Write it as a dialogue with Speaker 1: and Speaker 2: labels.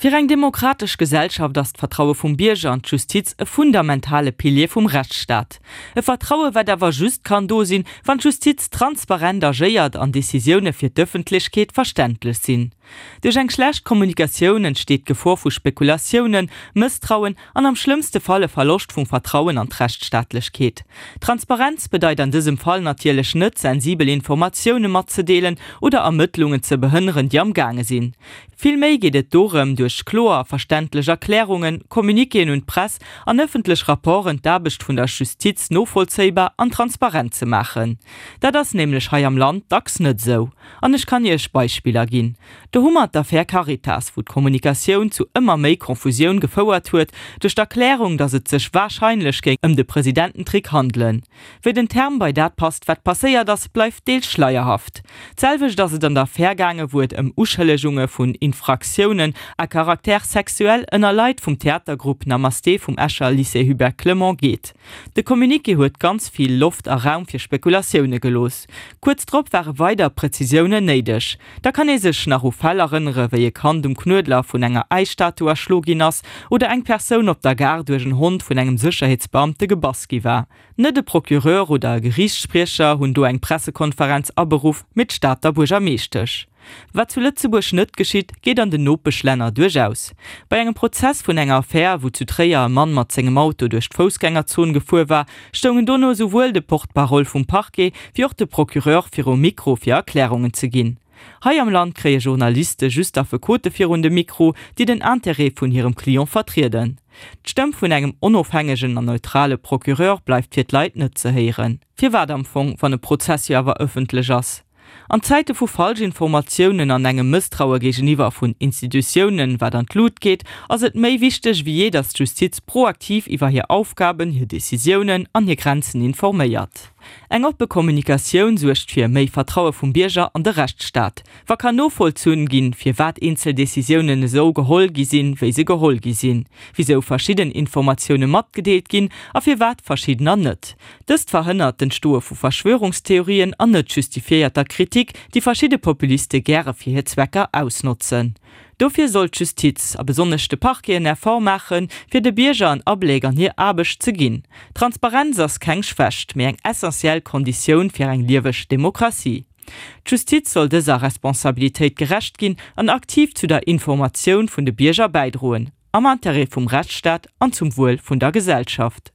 Speaker 1: Fir eng demokratesch Gesellschaft ass d'Vertraue vum Bierger an d'Justiz e fundamentale Pilier vum Rechtsstaat. E Vertraue wat awer just kann do sinn, wann d'Justiz transparent agéiert an Decisioune fir d'Ëffentlechkeet verständlech sinn. Duerch eng schlecht Kommunikatioun entsteet d'Gefor vu Spekulatiounen, Mësstrauen an am schlëmmste Fall e Verloscht vum Vertrauen an d'Rechtsstaatlechkeet. Transparenz bedeit an dësem Fall natierlech net, sensibel Informatioune matzedeelen oder Ermëttlungen ze behënneren, déi am gaange sinn. Villméi geet et dorëm, duerch kloer a verständlech Erklärungen, Communiquéen un d'Press an ëffentlech Rapporten d'Aarbecht vun der Justiz novollzéibar an transparent ze maachen. Dat ass nämlech hei am Land dacks net esou. An ech kann Iech Beispiller ginn. Do hu mer d'Affär Caritas, wou d'Kommunikatioun zu ëmmer méi Konfusioun gefouert huet duerch d'Erklärung, datt et sech warscheinlech géing ëm de Presidententrick handelen. Wéi den Term bei dat passt, wat passéiert ass, bleift deels schleierhaft. D'selwecht ass et an der Affär gaange wou et ëm Uschëllegunge vun Infraktiounen à caractère sexuel ënner Leit vum Theatergrupp Namasté vum Escher Lycée Hubert Clement geet. De Communiqué huet ganz vill Loft a Raum fir Spekulatioune gelooss. Kuerz drop ware weider Prezisiounen néideg. Da kann ee sech nach u Fäll erënnere wéi e Kand um Knuedler vun enger Äisstatu erschlo ginn ass oder eng Persoun op der Gare duerch en Hond vun engem Sécherheetsbeamte gebass gi war. Net e Procureur oder e Geriichtsspriecher hunn do eng Pressekonferenz aberuff, mee d'Stater Buergermeeschtesch. Wat zu Lëtzebuerg net geschitt, geet an den Nopeschlänner duerchaus. Bei engem Prozess vun enger Affär, wou zu Tréier e Mann mat sengem Auto duerch d'Foussgängerzon gefuer war, stoungen dono esouwuel de Porte-parole vum Parquet wéi och de Procureur virum Mikro fir Erklärungen ze ginn. Hei am Land kréie Journaliste just Affekote virun de Mikro, déi den Interêt vun hirem Client vertrieden. D'Stëmm vun engem onofhängegen an neutrale Procureur bleift fir d'Leit net ze héieren. Firwat am Fong, wann e Prozess jo awer ëffentlech ass? An Zäite vu Falschinformatiounen an engem Mësstraue géigeniwwer vun Institutiounen, wat an d'Lut geet, ass et méi wichteg wéi jee, datt d'Justiz proaktiv iwwer hir Aufgaben, hir Decisiounen an hir Grenzen informéiert. Eng oppe Kommunikatioun suergt fir méi Vertraue vum Bierger an de Rechtsstaat. Wa kann novollzunn ginn, firwat eenzel Decisiounen esou geholl gi sinn, wéi se geholl gi sinn, wisou verschidden Informatioune matgedeelt ginn a firwat verschiddener net. Dëst verhënnert d'Entstoe vu Verschwörungstheorien an net justifiéierter Kritik, déi verschidde Populiste gäre fir hir Zwecker ausnotzen. Dofir soll d'Justiz, a besonnesch de Parquet en Effort maachen, fir de Bierger en Abléck an hir Aarbecht ze ginn. Transparenz ass keng Schwächt, mee eng essentiell Konditioun fir eng lieweg Demokratie. D'Justiz soll dëser Responsabilitéit gerecht ginn an aktiv zu der Informatioun vun de Bierger bäidroen, am Interêt vum Rechtsstaat an zum Wuel vun der Gesellschaft.